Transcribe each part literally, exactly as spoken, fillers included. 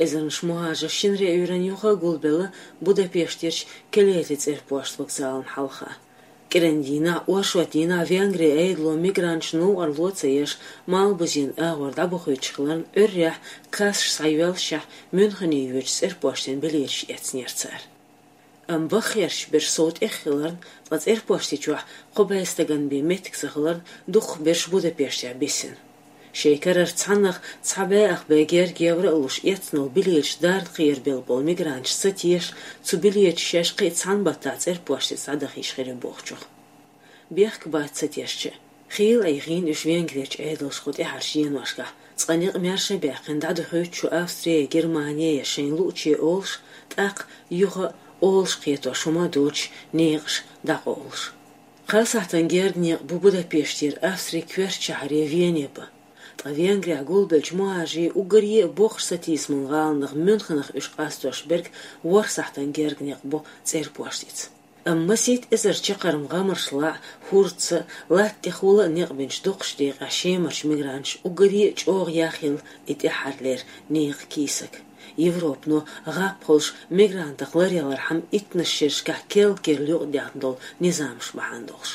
Эзарнаш мухӀажарш шинарин Ӏуьйранна юха а гулбелла Будапештерчу Келети цӀерпошт вокзална хьалха. КӀиран дийнахь, оршот дийнахь Венгрин Ӏедало мигранташна новкъарло ца еш, Малхбузен агӀор дӀабохуьйтуш хиларна, Ӏуьйранна кассаш схьайоьллушехь, Мюнхене йоьдучу цӀерпоштан билеташ эцнера цара. Амма баххерчу берш сов тӀех хиларна, ткъа цӀерпошти чохь кхо бӀе стагана бен меттиг ца хиларна, дукхахберш Будапештехь бисина. Шайн карара цхьаннах цхьа бӀе ах бӀе герга евро а луш эцна йолу билеташ дарна кхерабелла болу мигранташ ца теша, цу билеташа шаьш кхин а цхьана баттахь цӀерпоштица дӀадахийта хир ю бохучух. Бехк бац ца тешча а. Хийла Ӏехийна уьш Венгрерчу Ӏедалшкахь тӀаьхьарчу деношкахь, цкъа некъ маьрша а баьккхина дӀадохуьйту шу Австри, Германи я шайна лууче олуш, тӀаккха юха а олуш кхетош хӀума а доцуш, некъаш дӀакъовлуш. Кхаа сахьтана герга некъ бу Будапештера Австрин коьртачу шахьаре Вене бан. Ткъа Венгрехь гулбеллачу мухӀажарийн уггаре а боккхачу сатийсаман гӀаланах Мюнхенах уьш къастош берг ворхӀ сахьтана герга некъ бу цӀерпоштица. Амма масийтта эзар чаккхарма гӀамарш лаьа, хӀордца а, латта тӀехула а некъ бинчу доккхачу декъехь Шемарчу мигранташа уггаре а чӀогӀа яхъелла и тӀаьххьарлера некъан кийсак. Европано гӀап хуьлуш мигрантах ларъялархьама иттаннаш шерашкахь керла-керла юкъадаьхна долу низамаш бахьана долуш.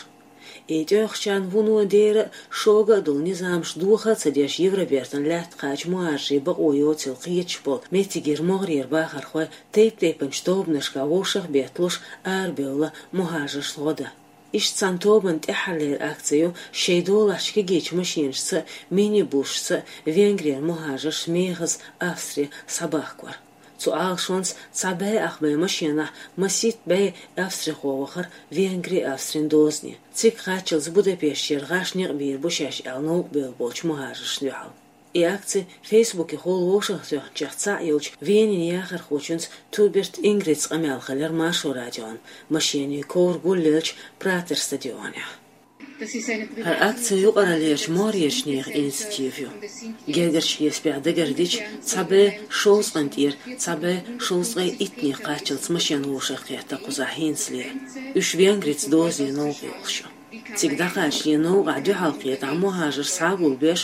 И тӀехьарчарна вуно дера а, шога а долу низамаш доха а ца деш, Евробертан лаьтта кхача мухӀажарийн бакъо йоцийла кхеташ болу меттигера могӀарера бахархой тайп-тайпанчу тобанашкахь вовшах а бетталуш арабевлла мухӀажаршна гӀо дан. Иштта цхьана тобанан тӀаьххьарлера акци ю шайн долахьчу кегийчу машенашца а, минибусашца а Венгрера мухӀажарш мехаза Австре схьабахкор. Цу Ӏалашонца цхьа бӀе ах бӀе машенахь масийтта бӀе австрихо вахара Венгри-Австрин дозане. Цига кхаччалц Будапештера гӀаш некъ бийр бу шаьш аьлла новкъа бевлла болчу мухӀажаршна дуьхьал. И акци Фейсбукехула вовшахтоьхначех цхьаъ йолчу Венин яхархочуьнца Туберт Ингрица къамел хилира Маршо радион машенийн ковра гулъеллачу Пратер стадионехь. ХӀара акци юкъараллерчу могӀарерчу нехан инициатива ю. Гергарчу хьесапехь дагардича, цхьа бӀе шовзткъана тӀера цхьа бӀе шовзткъе иттаннах кхаччалц машен вовшахкхетта кхузахь хӀинцале. Уьш Венгрица дозане новкъа йолуш ю. Цига дӀакхачале новкъахь дуьхьалкхетахь мухӀажарш схьа а гулбеш,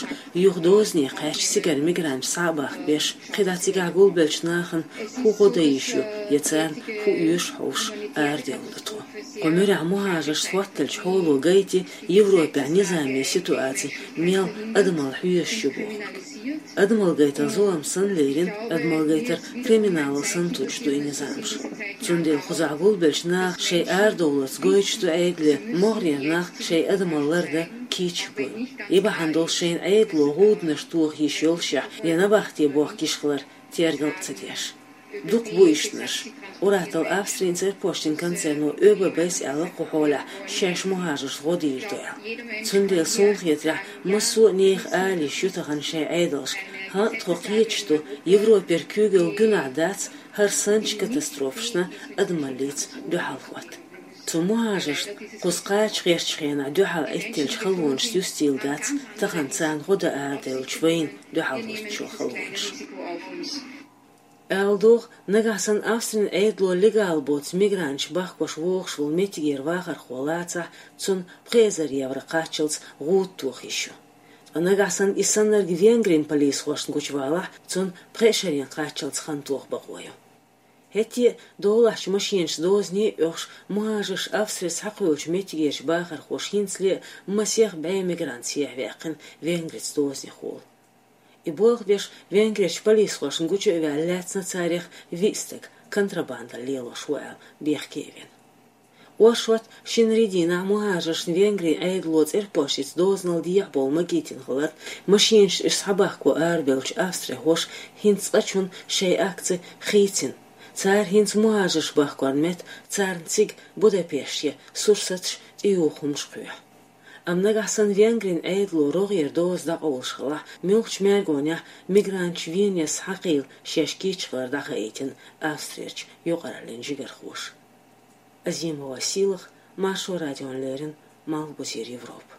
юха дозане кхаьчча цигара мигранташ схьа а бахкабеш, кхидӀа цигахь гулбеллачу нахана хӀун гӀо дан йиш ю я царна хӀун оьшу хьовсуш арадевлла ду тхо. Кху муьрехь мухӀажарш хӀотталчу хьоло гайти Европехь низамийн ситуаци мел адамалла хьоьжуш ю бохург. Адамалла гайтар зулам санна лерина, адамалла гайтар криминалал санна туьллуш ду и низамаш. Цундела кхузахь гулбеллачу наха шайн арадовларца гойтуш ду Ӏедале, могӀарера нах шайн адамалла лардан кийча буйла. И бахьана долуш шайна Ӏедало гӀуданаш тоха йиш йолушехь я набахте бохка йиш хилар тергал а ца деш. Дукха бу ишттанаш. Ур-атталла Австрин цӀерпоштан концерно ОББ-с аьлла кху хьолехь шаьш мухӀажаршна гӀо дийр ду аьлла. Цундела суна хетарехь, массо а нехан ала йиш ю тахана шайн Ӏедалшка: хӀан а, тхо кхеташ ду, Европера куьйгалла гуьнахь дац хӀара санначу катастрофашна адамаллица дуьхьалхӀотта. Цу мухӀажаршна кхуза кхача гӀертачу хенахь дуьхьал Ӏиттеллачу халонашца юстийла дац тахана царна гӀо дан арадевллачу вайна дуьхьалхӀоттачо халонаш. Ала догӀу, нагахь санна Австрин Ӏедало легал боцу мигранташ бахкош вогӀуш волу меттигера вахархо лацахь, цунна пхи эзар евро кхаччалц гӀуда тоха йиш ю. Ткъа нагахь санна и саннарг Венгрин полисхошна гучувалахь, цунна пхи шарна кхаччалц хан тоха бакъо ю. ХӀетте а долахьчу машенашца дозане а оьхуш, мухӀажарш Австрица схьакхоьллачу меттигерчу бахархоша хӀинцале а масех бӀе мигрант сехьаваьккхина Венгрица дозанехула. И болх беш, Венгрерчу полисхошна гучу а ваьлла, лаьцна царех виъ стаг контрабандалла лелош ву аьлла бехке а вина. Оршот, шинарин дийнахь мухӀажаршна Венгрин Ӏедало цӀерпоштица дозанал дехьа бовла магийтина хиларна, машенашца уьш схьабахко арабевллачу австрихоша хӀинца цкъачунна шайн акци хийцина. Цара хӀинца мухӀажарш бахкорна метта царна цига, Будапеште, сурсаташ, тӀеюхамаш кхоьхьу. Амма нагахь санна Венгрин Ӏедало рогӀера доза дӀакъовлуш хилахь, муьлххачу мергонехь мигранташ Венеца схьакхийла шаьш кийча хилар дӀахаийтина Австрерчу юкъараллин жигархоша. Азимова Сийлаха, Маршо радиона леррина, Малхбузера Европа.